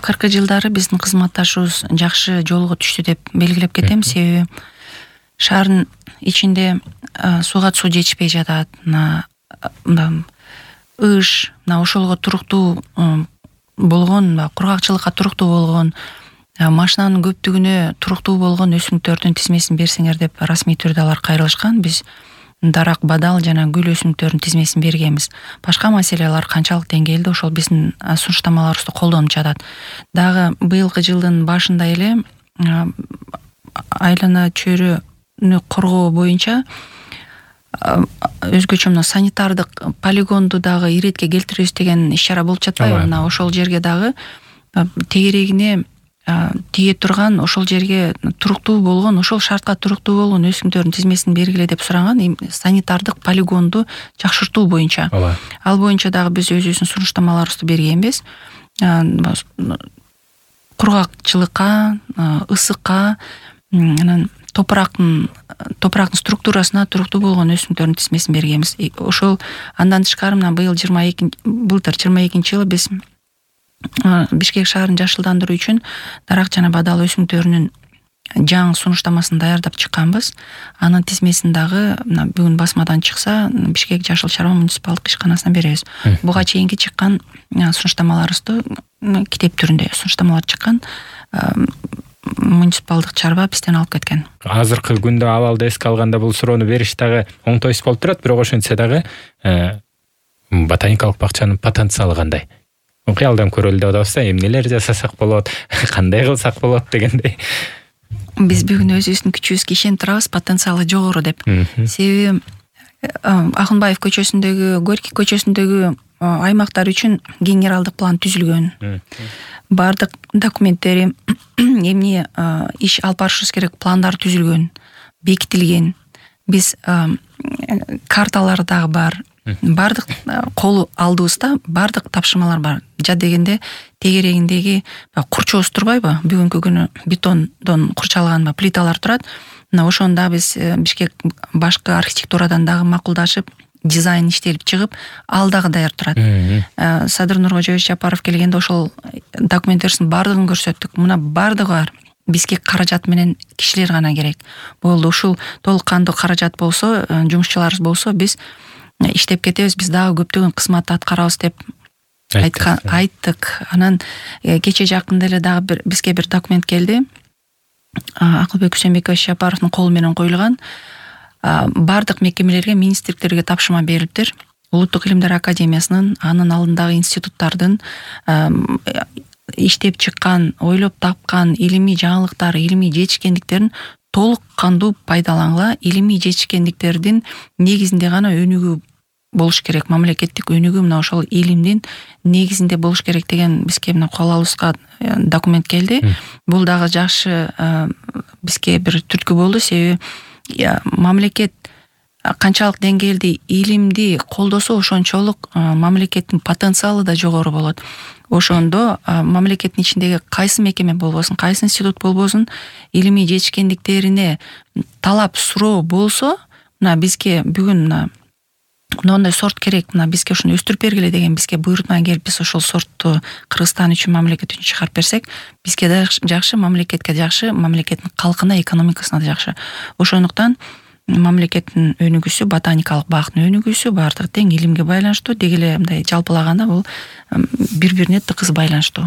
Акыркы жылдары биздин кызматташыбыз жакшы жолго түштү деп белгилеп кетем. Себеби шаардын ичинде сууга суу жетишпей жатат. Ыш, ошолго туруктуу болгон, кургакчылыкка туруктуу болгон, машинанын көптүгүнө туруктуу болгон өсүмдүктөрдүн тизмесин берсеңер деп расмий түрдө алар кайрылышкан. Биз дарак, бадал жана гүл өсүмдүктөрүнүн тизмесин бергенбиз. Башка маселелер канчалык деңгээлде ошол биздин сунуштамаларыбызды колдонуп жатат. Дагы быйылкы жылдын башында эле айлана чөйрөнү коргоо боюнча өзгөчө мына санитардык полигонду дагы иретке келтиребиз деген иш-чара болуп жатпайбы? Мына ошол жерге дагы тегерегине тие турган, ошол жерге туруктуу болгон, ошол шартка туруктуу болгон өсүмдүктөрдүн тизмесин бергиле деп суранган, санитардык полигонду жакшыртуу боюнча. Ал боюнча дагы биз өзүбүздүн сунуштамаларыбызды бергенбиз. Кургакчылыкка, ысыкка, анан топурактын структурасына туруктуу болгон өсүмдүктөрдүн тизмесин бергенбиз. Ошол андан тышкары мына былтыр 22-жылы биз Бишкек шаарын жашылдандыруу үчүн дарак жана бадал өсүмдүктөрүнүн жаңы сунуштамасын даярдап чыкканбыз. Анын тизмесин дагы бүгүн басмадан чыкса, Бишкек жашыл чарба муниципалдык ишканасына беребиз. Буга чейинки чыккан сунуштамаларыбызды китеп түрүндө сунуштамалар чыккан муниципалдык чарба бизден алып кеткен. Азыркы күндө абалды эске алганда бул суроону бериш дагы оңтойсуз болуп турат, бирок ошентсе дагы ботаникалык бакчанын потенциалы кандай? Кыялдан көрөлү деп атабыз да, эмнелер жасасак болот, кандай кылсак болот дегендей. Биз бүгүн өзүбүздүн күчүбүзгө ишенип турабыз, потенциалы жогору деп. Себеби Акынбаев көчөсүндөгү, Горький көчөсүндөгү аймактар үчүн генералдык план түзүлгөн. Бардык документтери, эмне иш алып барышыбыз керек пландар түзүлгөн, бекитилген. Биз карталары дагы бар. Бардык колу алдыбызда бардык тапшырмалар бар. Жа дегенде тегерегиндеги курчообуз турбайбы? Бүгүнкү күнү бетондон курчалган плиталар турат. Мына ошону да биз Бишкек башкы архитектурадан дагы макулдашып, дизайн иштелип чыгып, ал дагы даяр турат. Садыр Нуркожоевич Жапаров келгенде ошол документтердин бардыгын көрсөттүк. Мына бардыгы бар. Бизге каражат менен кишилер гана керек. Болду, ушул толук кандуу каражат болсо, жумушчуларыбыз болсо, биз иштеп кетебиз, биз дагы көптөгөн кызматты аткарабыз деп айттык. Анан кече жакында эле дагы бизге бир документ келди. Акылбек Үсөнбекович Жапаровдун колу менен коюлган. Бардык мекемелерге, министрликтерге тапшырма берилиптир. Улуттук илимдер академиясынын, анын алдындагы институттардын иштеп чыккан, ойлоп тапкан илимий жаңылыктары, илимий жетишкендиктерин толук кандуу пайдалангыла, илимий жетишкендиктердин негизинде гана өнүгүү болуш керек, мамлекеттик өнүгүү мына ошол илимдин негизинде болуш керек деген бизге мына кол алыбызга документ келди. Бул дагы жакшы бизге бир түрткү болду, себеби мамлекет канчалык деңгээлде илимди колдосо, ошончолук мамлекеттин потенциалы да жогору болот. Ошондо мамлекеттин ичиндеги кайсы мекеме болбосун, кайсы институт болбосун, илимий жетишкендиктерине талап суроо болсо, мына бизге бүгүн мындай сорт керек, мына бизге ушуну өстүрүп бергиле деген бизге буйрутма келип, биз ошол сортту Кыргызстан үчүн, мамлекет үчүн чыгарып берсек, бизге да жакшы, мамлекетке жакшы, мамлекеттин калкына, экономикасына да жакшы. Ошондуктан мамлекеттин өнүгүүсү, ботаникалык бактын өнүгүүсү баардыгы тең илимге байланыштуу, деги эле мындай жалпылаганда бул бири-бирине тыкыз байланыштуу.